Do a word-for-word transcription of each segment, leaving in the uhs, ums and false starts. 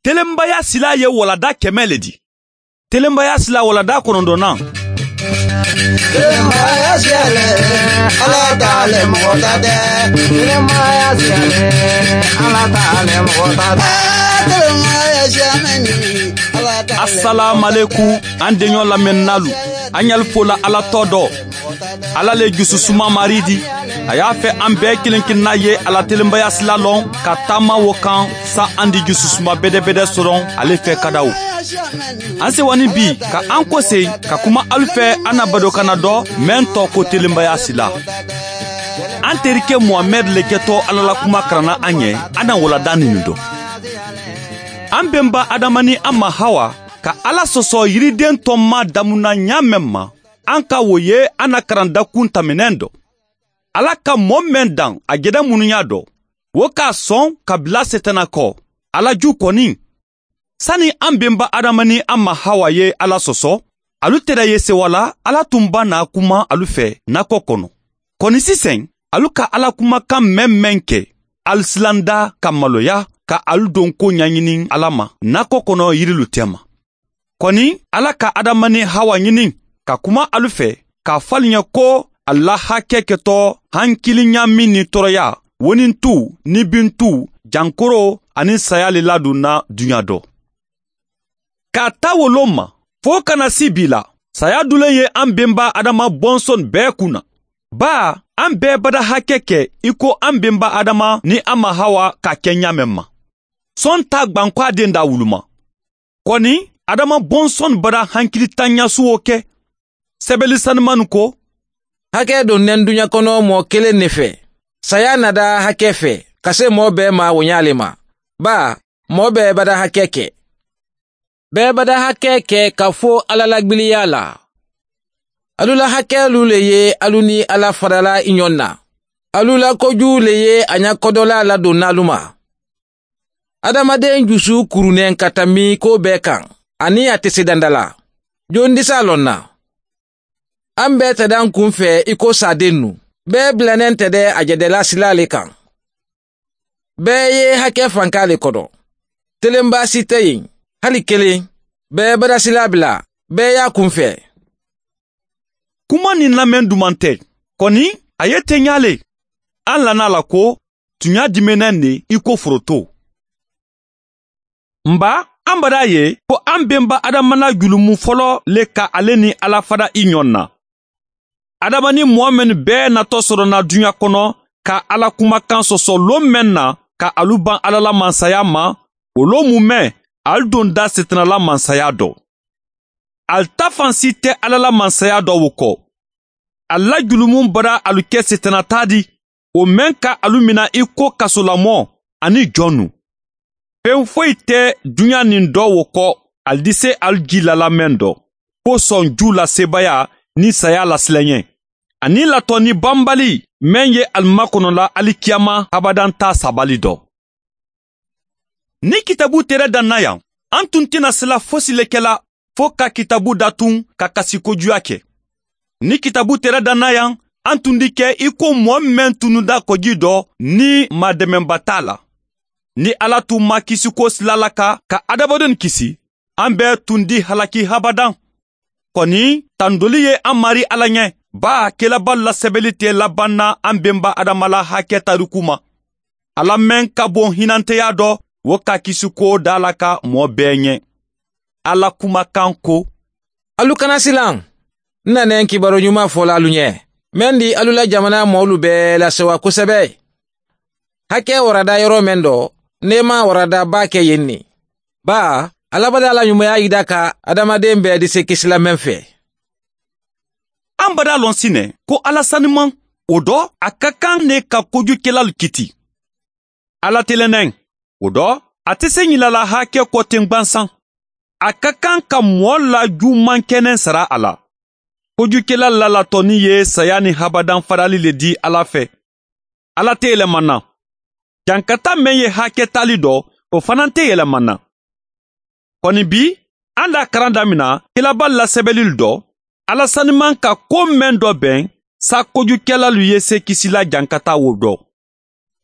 Telenbaya sila ye walada kɛmɛ le di. Telenbaya sila walada kɔnɔntɔnnan. Telenbaya sila le, ala ta le mɔgɔta tɛ. Telenbaya sila le, ala ta le mɔgɔta tɛ. Telenbaya sila mɛ ni, ala ta le. Asalaamalekum, an deɲɔ lamɛnnalu, an ɲali fola ala tɔ dɔ. Ala le jususuma mari di. A y'a fɛ an bɛɛ kelen kelenna ye a la telenbaya sila lɔn ka taama wo kan. Sa an di jususuma bɛdɛbɛdɛ sɔrɔ ale fɛ ka da o. An sewani bi ka an kose ka kuma alu fɛ, an na badokana dɔ mɛn tɔ ko telenbaya sila. An terike muhamɛd le kɛtɔ ala la kuma karanna an ɲɛ. An na walada nin dɔn. An benba adama ni an ma hawa ka ala sɔsɔ yiriden tɔma damuna ɲa mɛn ma. An ka wo ye an na karandakun tɛmɛnen dɔ. Ala ka mɔɔ mɛn dan a jɛdɛ munuɲa dɔ, wo k'a sɔn ka bila setana kɔ. Ala ju kɔni, sani an benba adama ni an ma hawa ye ala sɔsɔ, alu tɛrɛ ye sewa la. Ala tun ba n'a kuma alu fɛ nakɔ kɔnɔ. Kɔni sisan, alu ka ala kumakan mɛn mɛn kɛ, alu silanda ka maloya ka alu donko ɲaɲini ala ma nakɔ kɔnɔ yirilu tɛma. Kɔni, ala ka adama ni hawa ɲini ka kuma alu fɛ, k'a fɔ alu ɲɛ ko a la hakɛ kɛtɔ hankiliɲa min ni tɔɔrɔya, wonintu ni bintu, jankoro ani saya le ladonna duɲa dɔ. K'a ta wolo ma, fo kana si bi la, saya dulen ye an benba adama bɔnsɔn bɛɛ kun na. Baa, an bɛɛ bada hakɛ kɛ i ko an benba adama ni an ma hawa ka kɛ ɲa mɛn ma. Sɔn t'a gbankɔ a den da wuluma. Kɔni, adama bɔnsɔn bara hankili tanɲasuwo kɛ. Sɛbɛli sanumanu ko, hakɛ donnen duɲa kɔnɔ mɔɔ kelen ne fɛ, saya nada hakɛ fɛ ka se mɔɔ bɛɛ ma wo ɲa le ma. Baa, mɔɔ bɛɛ bada hakɛ kɛ. Bɛɛ bada hakɛ kɛ ka fo ala la gbiliya la. Alu la hakɛlu le ye alu ni ala fadala i ɲɔn na. Alu la koju le ye a ɲa kɔdɔla ladonna alu ma. Adamaden jusu kurunnen ka tanbi ko bɛɛ kan, ani a tɛ se danda la. Jon disa lɔn na? An bɛɛ tɛ dan kun fɛ i ko sadennu. Bɛɛ bilannen tɛ dɛ a jɛdɛla sila le kan. Bɛɛ ye hakɛ fanka le kɔdɔ. Telenba si tɛ yen, hali kelen. Bɛɛ badasila bila, bɛɛ y'a kun fɛ. Kuma nin lamɛn duman tɛ. Kɔni, a ye teɲa le. An lana la ko tuɲa diminɛn de i ko foroto. Nba, an bada ye ko an benba adama la julumu fɔlɔ le ka ale ni ala fada i ɲɔn na. Adama ni mɔɔ mɛn bɛɛ natɔ sɔrɔna duɲa kɔnɔ ka ala kumakan sɔsɔ lon mɛn na ka alu ban ala la mansaya ma, o lon mu mɛn, alu donda setana la mansaya dɔ. Ali ta fan si tɛ ala la mansaya dɔ wo kɔ. Ali la julumu bara alu kɛ setana ta di, o mɛn ka alu mina i ko kasolamɔ ani jɔnnu. Fen foyi tɛ duɲa nin dɔ wo kɔ, ali dise alu ji la lamɛn dɔ, ko sɔn ju la sebaya ni saya la silɛɲɛ, ani latɔni banbali mɛn ye ali makɔnɔla alikiyama abadan ta sabali dɔ. Ni kitabu tɛrɛ dan na yan, an tun tɛna sila fosi le kɛla fo ka kitabu datun ka kasi kojuya kɛ. Ni kitabu tɛrɛ dan na yan, an tun di kɛ i ko mɔɔ mɛn tununda kɔji dɔ ni maadɛmɛnba t'a la. Ni ala tun ma kisiko sila la ka ka adamadenw kisi, an bɛɛ tun di halaki habadan. Kɔni, tandoli ye an mari ala ɲɛ, baa kelaba lasɛbɛli tɛ laban na an benba adama la hakɛ tariku ma. Ala mɛn ka bon hinanteya dɔ, wo ka kisiko da la ka mɔɔ bɛɛ ɲɛ. Ala kumakan ko, alu kana silan. N nanɛ n kibaru ɲuman fɔla alu ɲɛ, mɛn di alu la jamana mɔɔlu bɛɛ lasewa kosɛbɛ. Hakɛ warada yɔrɔ mɛn dɔ, neema warada baa kɛ yen ne. Baa, alabada la ɲumanya yida ka adamaden bɛɛ dise kisilamɛn fɛ. An bada lɔn sinɛ ko ala saniman, o dɔ a ka kan ne ka kojukɛlalu kiti. Ala telɛnɛn, o dɔ a tɛ se ɲilala hakɛ kɔ ten gbansan. A ka kan ka mɔɔ la juman kɛnɛ sara a la. Kojukɛla lalatɔni ye saya ni habadan farali le di ala fɛ. Ala tɛ yɛlɛmana. Jankata mɛn ye hakɛ tali dɔ, o fana tɛ yɛlɛmana. Kɔni bi, an da karan damina kelaba lasɛbɛlili dɔ, ala saniman ka ko mɛn dɔ bɛn sa kojukɛlalu ye se kisila jankata wo dɔ.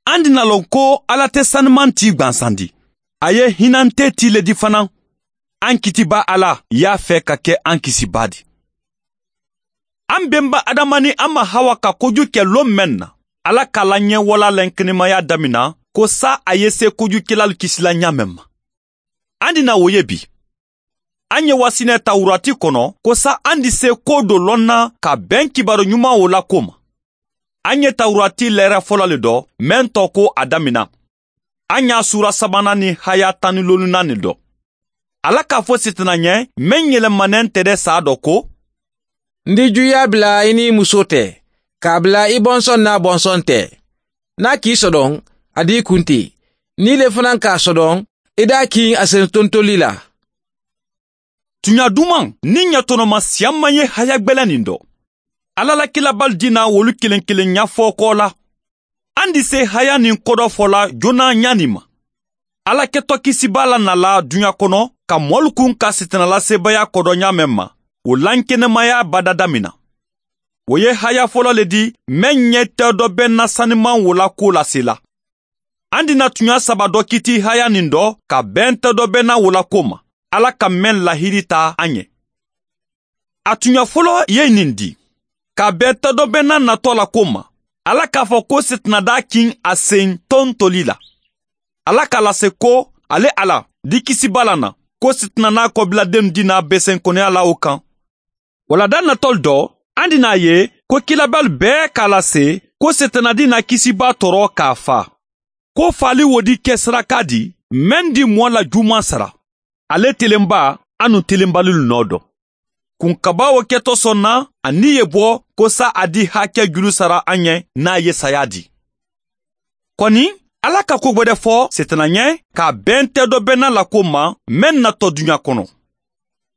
An dina lɔn ko ala tɛ saniman ti gbansandi. A ye hinantee tii le di fanaŋ. An kitibaa ala ye a fee ka ke an kisibaa di. An benba adama niŋ a ma hawa ka koju ke loŋ meŋ na, ala ka a la ñeewalaa lenkenemayaa damina ko saa a ye see kojukelaalu kisi la ñaameŋ ma. An di naa wo ye bii. An ye wasi ne tawurati kono ko saa an di see koo do loŋ na ka beŋ kibaaru ñumaŋo la koo ma. An ye tawurati leera folo le do meŋ to ko a damina. An ye a suura sabananni haya tanni loolu naani do. Ala ka a fo sitina ñe meŋ yelema neŋ tede saa do ko, n di juuyaa bila i niŋ i musoo te, ka a bila i bonsoŋ niŋ a bonsoŋ te. Niŋ a ka i sodoŋ, a di i kunti. Niŋ i le fanaŋ ka a sodoŋ, i daa kiŋ a sentontolii la. Tuñaa dumaŋ niŋ ñatonoma siyaŋ maŋ ye haya gbeleninto. Alla la kilabaalu dina wolu keleŋ keleŋ ñafookoo la. An di see haya niŋ kodoo fo la jonaa ñaani ma. Alla ke tokisibaa la na la duñaa kono ka moolu kuŋ ka sitina la seebayaa kodoo ñaameŋ ma, wo lankenemayaa badadamina. Wo ye haya folo le di meŋ ye teedobenna sanimaŋ wo la kuwo lasi la. An di na tuñaa saba do kiti haya niŋ do ka beŋ teedobenna wo la kuwo ma, alla ka meŋ lahidi taa a ñe. A tuña folo ye ñiŋ di, ka a beŋ teedobenna natoo la kuwo ma, alla ka a fo ko sitina daa kiŋ a seŋ tontoli la. Alla ka a lase ko, ale alla di kisibaa la na, ko sitina naa kobiladenu dinaa besenkoneya la wo kaŋ. Wala daa natolu do, an di naa ye ko kilabaalu bee ka a lase ko sitina dinaa kisibaa toro ka a faa. Ko faali wo di ke sarakaa di meŋ di moo la juumaŋ sara, ale telenbaa anuŋ telenbalilu noo do. Kunkabaa wo keto soŋ na a niŋ ye bo ko saa a di hake julu sara a ñe niŋ a ye sayaa di. Koni, alla ka kuu gbe de fo setenaŋ ye ka a beŋ teedobenna la kuwo ma meŋ na to duñaa kono.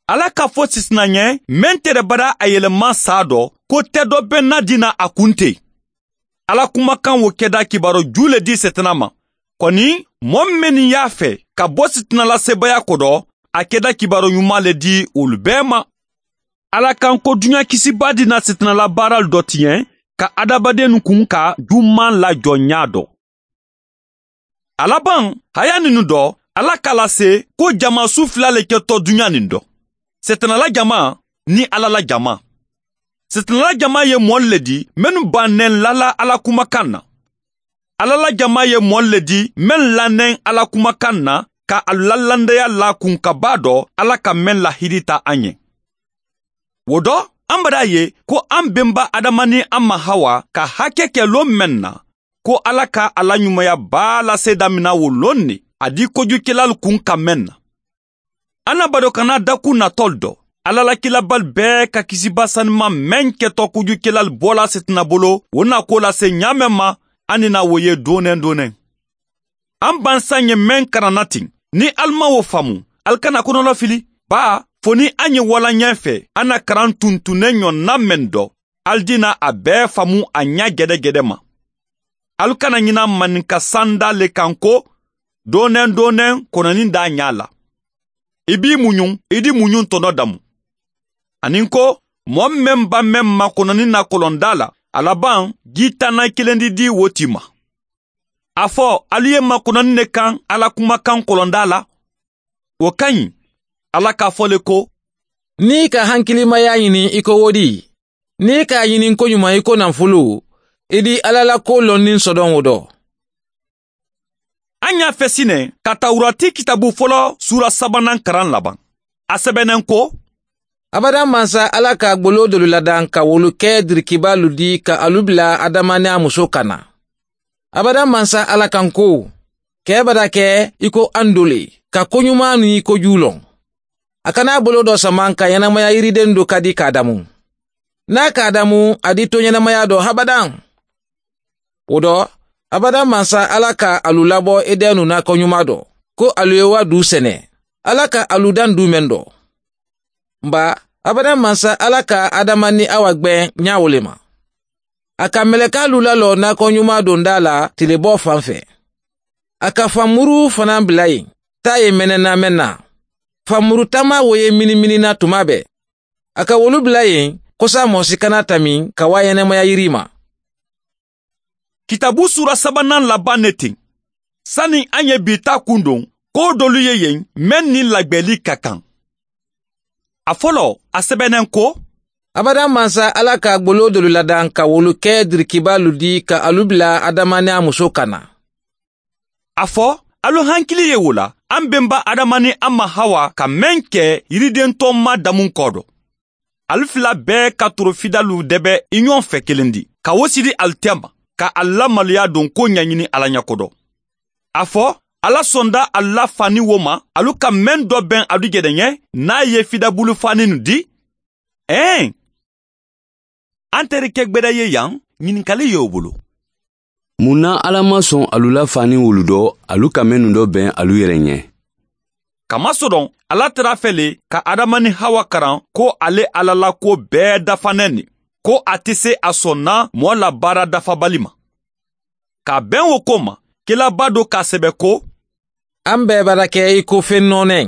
Alla ka fo setenaŋ ye meŋ tere badaa a yelema saa do ko teedobenna dina a kunte. Alla kumakaŋ wo keda kibaaroo juu le di setena ma. Koni, moo mennu ye a fee ka bo setena la seebayaa kodo, a keda kibaaroo ñumaa le di wolu bee ma. Alla kaŋ ko duñaa kisibaa dina setena la baaraalu do ti ñe ka hadamadennu kuŋ ka juumaŋ lajoŋ ñaa do. A labaŋ, hayaninnu do, alla ka a lase ko jamaa suu fula le ke to duñaa niŋ do, setena la jamaa niŋ alla la jamaa. Setena la jamaa ye moolu le di mennu baŋ ne lala alla kumakaŋ na. Alla la jamaa ye moolu le di mennu lanneŋ alla kumakaŋ na, ka a lalandeya laa kunkabaa do alla ka meŋ lahidita a ñe. Wo do, an badaa ye ko an benba adama niŋ a ma hawa ka hake ke loŋ meŋ na, ko alla ka a la ñumaya baa la seedaa mina wo loŋ ne a di kojukelaalu kuŋ ka meŋ na. An na badoo kana dakuu natoolu do, alla la kilabaalu bee ka kisibaa sanimaŋ meŋ ke to kojukelaalu boolaa setina bolo wo na ko lase ñaameŋ ma. An ni na wo ye dooneŋ dooneŋ. An bansaŋ ye meŋ karanna tiŋ, niŋ ali maŋ wo famu, ali kana konolofili. Baa, fo niŋ a ñiŋ wala ñee fee a na karaŋ tuntunneŋ ñoŋ na meŋ do, ali dina a bee famu a ñaa gedegede ma. Ali kana ñina maninka sandaa le kaŋ ko, dooneŋ dooneŋ kononiŋ daa ñaa la. I be i muñuŋ i di muñuŋ tono damu. Aniŋ ko, moo meŋ ba meŋ ma kononiŋ na kolondaa la, a labaŋ jii tanna kilendi di wo ti ma. A fo, ali ye ma kononiŋ ne kaŋ alla kumakaŋ kolondaa la? Wo ka ñiŋ. Alla ka a fo le ko, niŋ i ka hankilimayaa ñini i ko wo di? Niŋ i ka a ñini n ko ñumaŋ i ko nanfulu, i di alla la kuwo loŋ niŋ sodoŋo do. A ñaa fesi ne ka tawurati kitaabu folo suura sabanaŋ karaŋ labaŋ. A sebeneŋ ko, abadaŋ mansa alla ka gboloo dolu ladaŋ ka wolu ke dirikibaalu di ka alu bila adama niŋ a musoo kanna. Abadaŋ mansa alla kaŋ ko, kee bada ke i ko andole ka koñumaa niŋ i kojuu loŋ. A kana a boloo do samaŋ ka yenamaya yiridendu kadi ka a damu. Niŋ a ka a damu a di toñenamayaa do habadaŋ. Wo do, abadaŋ mansa alla ka alu labo edenu naakoñumaa do, ko alu ye wa duu sene, alla ka alu daŋ duu meŋ do. Mba, abadaŋ mansa alla ka adama niŋ a wa gbeŋ ñaawo le ma. A ka melekaalu laloo naakoñumaa dondaa la tileboo faŋ fee. A ka fanmuru fanaa bila yen taa ye menena menna. Fanmuru tamaa wo ye miniminina tumaa bee. A ka wolu bila yen kosaa moo si kana tamiŋ ka waa yenemaya yiriima. Kitaabu suura sabanaŋ labaŋ ne teŋ. Sani a ye bii taa kundoŋ, Koo doolu ye yen meŋ niŋ lagbeeli ka kaŋ. A foloo a sebeneŋ ko, abadaŋ mansa alla ka gboloo doolu ladaŋ ka wolu ke dirikibaalu di ka alu bila adama niŋ a musoo kanna. A fo, alu hankili ye wo la, aŋ benba adama niŋ a ma hawa ka meŋ ke yiridentooma damuŋ koodo. Ali fula bee ka torofidalu debe i ñoŋ fe kelendi ka wo sidi ali tema, ka ali la maluyaa donkoo ñañini alla ña kodo. A fo, alla sonda ali la faani wo ma, alu ka meŋ do beŋ alu je de ñe, niŋ a ye fidabulu faaninu di. Ee, a nte reke gbeda ye yaŋ, ñininkali ye wo bulu. Muŋ na alla maŋ soŋ alu la faani wolu do, alu ka mennu do beŋ alu yere ñe? Kamasodoŋ, alla tara fe le ka adama niŋ hawa karaŋ ko a le alla la kuwo bee dafa neŋ ne, ko a te se a sonna moo la baara dafabali ma. Ka a beŋ wo ko ma, kila baa do ka a sebe ko, aŋ bee barake i ko feŋ noo neŋ.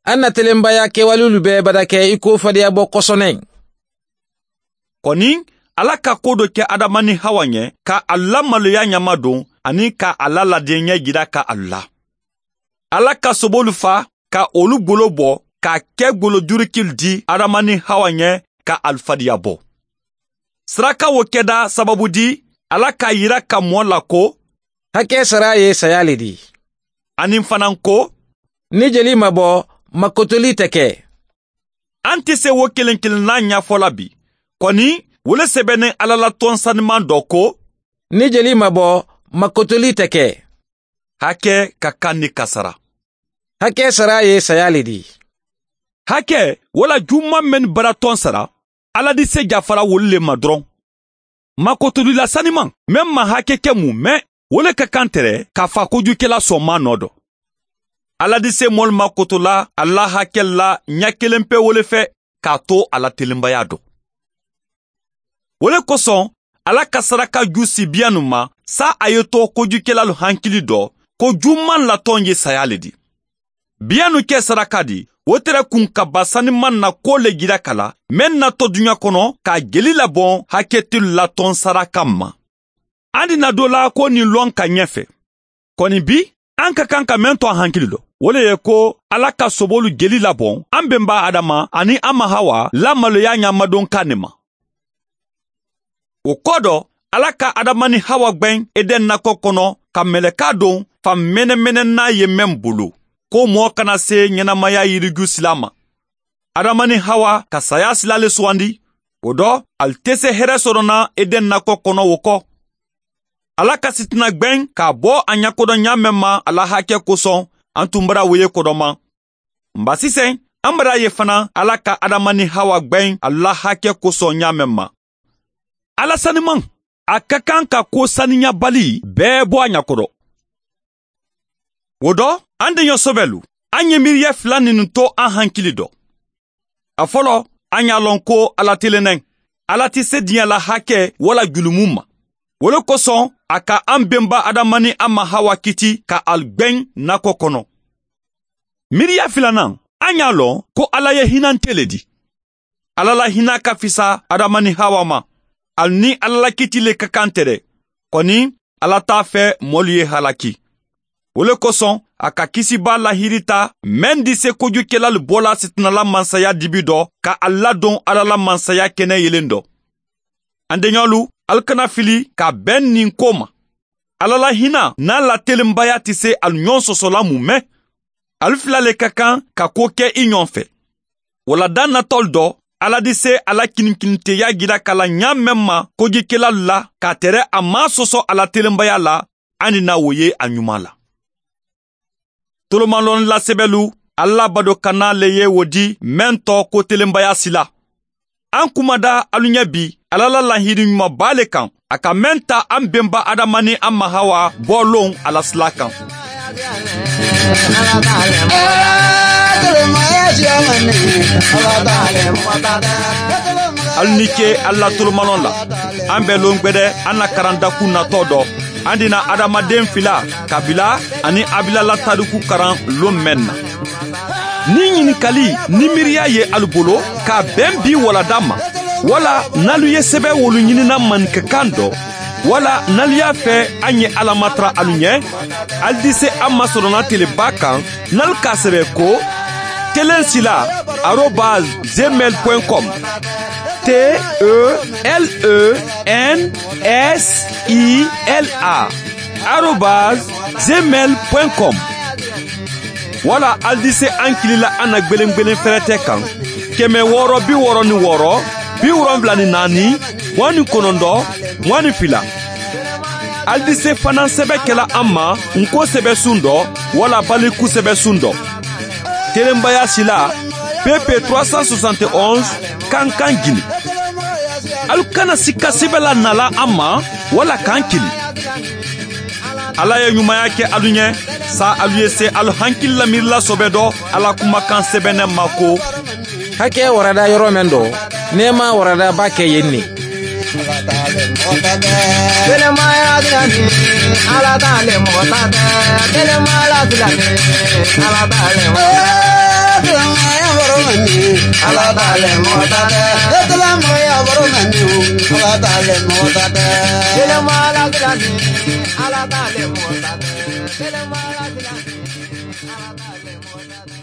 Aŋ na telembayaa kewalulu bee barake i ko fadiyabo koso neŋ. Koni, alla ka koo do ke adama niŋ hawa ñe ka alu la maluyaa ñamadoŋ, aniŋ ka a la ladiŋ ñejira ka alu la. Alla ka soboolu faa ka wolu gbolo bo, ka a ke gbolo jurukilu di adama niŋ hawa ñe, ka alu fadiya bo. Saraka wo keda sababu di, alla ka a yira ka moo la ko, hake sara ye saya le di. Aniŋ fanaa ko, ni jeli ma bo, makotoli te ke. Aŋ te se wo keleŋ keleŋ naa ñaafo la bi, koni, wo le sebeneŋ alla la toŋ sanimaŋ do ko, ni jeli ma bo, makotoli te ke. Hake ka kaŋ ni kasara. Hake sara ye saya le di. Hake, walla juumaŋ mennu bara toŋ sara, alla di se jafara wolu le ma doroŋ. Makotolila sanimaŋ meŋ maŋ hake ke mu, mee wo le ka kaŋ tere ka faa kojukela soŋ maanoo do. Alla di se moolu makotola alla hakelu la ña keleŋ pe wo le fe, ka a to a la telembayaa do. Wo le kosoŋ, alla ka saraka juu si biyanu ma, saa a ye to kojukelalu hankili do, ko juumaŋ la toŋ ye sayaa le di. Biyanu ke saraka di, wo tere kuŋ ka ba sanimaŋ na koo le jira ka la, meŋ na to duña kono ka a jeli laboŋ haketilu la toŋ saraka ma. Aŋ dina doo la ko niŋ loŋ ka ñefe. Koni bi, aŋ ka kaŋ ka meŋ to aŋ hankili do, wo le ye ko, alla ka soboolu jeli laboŋ aŋ benba adama aniŋ a ma hawa la maloyaa ñaamadoŋ kaŋ ne ma. Wo koo do, alla ka adama niŋ hawa gbeŋ eden nako kono, ka melekaa doŋ faŋ menemenen naa ye meŋ bulu, ko moo kana see ñenamaya yiriju silaa ma. Adama niŋ hawa ka sayaa silaa le suwandi. Wo do, ali te se here soto na eden nako kono wo ko. Alla ka sitina gbeŋ ka a bo a ñakodoŋ ñaameŋ ma a la hake kosoŋ, aŋ tun bara wo ye kodomaŋ. Mba siseŋ, aŋ bara ye fanaa alla ka adama niŋ hawa gbeŋ a la hake kosoŋ ñaameŋ ma. Alla sanimaŋ, a ka kaŋ ka koo saniyaabali bee bo a ñakodo. Wo do, aŋ deño sobelu, aŋ ye miiriya fula ninnu to aŋ hankili do. A foloo, aŋ ye a loŋ ko alla te le neŋ. Alla ti sediya la hake walla julumu ma. Wo le kosoŋ, a ka aŋ benba adama niŋ a ma hawa kiti ka ali gbeŋ nako kono. Miiriya filanaŋ, aŋ ye a loŋ ko alla ye hinante le di. Alla la hinaa ka fisa adama niŋ hawa ma. Ali niŋ alla la kiti le ka kaŋ te de, koni, alla te a fee moolu ye halaki. Wo le kosoŋ, a ka kisibaa lahiirita meŋ di se kojukelalu boolaa sitinala mansaya dibi do, ka ali ladoŋ alla la mansaya kene yelendo. Aŋ deñolu, ali kana fili ka a beŋ niŋ koo ma. Alla la hinaa niŋ a la telembayaa ti se ali ñoŋ sosola mu mee. Ali fula le ka kaŋ ka koo ke i ñoŋ fe. Walla daŋ na toolu do, alla di se a la kininkininteeyaa jira ka la ñaameŋ ma kojikelalu la ka a tere a maŋ a soso a la telembayaa la. Aŋ ni naa wo ye a ñumaa la. Tolomaŋ loŋ lasebelu, alla badokanaa le ye wo di meŋ to ko telembayaa sila. Aŋ kumada alu ñe bi alla la lahiidi ñuma baa le kaŋ, a ka meŋ ta aŋ benba adama niŋ a ma hawa boo loŋ a la silaa kaŋ. Alu ni ke alla tolomanoŋ la. Aŋ be loŋ gbede aŋ na karandaku natoo do. Aŋ dina adamadeŋ fila, kabila aniŋ abila la taariku karaŋ loŋ meŋ na. Niŋ ñininkali niŋ miiriya ye alu bolo ka a beŋ bii walla daŋ ma, walla niŋ alu ye sebeewolu ñini naŋ maninka kaŋ do, Wala n'alu ye a fee a ŋ ye alla matara alu ɲe. Ali dise a masorona tele baa kaŋ n'alu ka a sebe ko, telensilaa arobaasi zemeli point com. T e l e n s i l a arobaasi zemeli point com. Wala ali dise ankili la a na gbelengbelen ferete kaŋ, keme wooro bi wooro ni wooro, bi wolonwula ni naani, muwaŋ ni konondoo, muwaŋ ni fila. Ali dise fanaŋ sebe kela a ma, n ko sebe sundo wala baliku sebe sundo. Telenbayasilaa, pepe trois cent soixante et onze, kankan gini. Alu kana sikka sebe la nala a ma wala kankili. Alla ye ɲumaya ke alu ɲe. Saa alu ye se alu hankili la miiri la sobe do alla kumakan sebene ma ko, hake warada yoro men do, nema warada ba ke yen ne. Telemaya dilani, ala dale mota de. Telemaya dilani, ala dale mota de. Telemaya boromani, ala dale mota de. Telemaya boromani, ala dale mota de. Telemaya dilani, ala dale mota de. Telemaya dilani, ala dale mota de.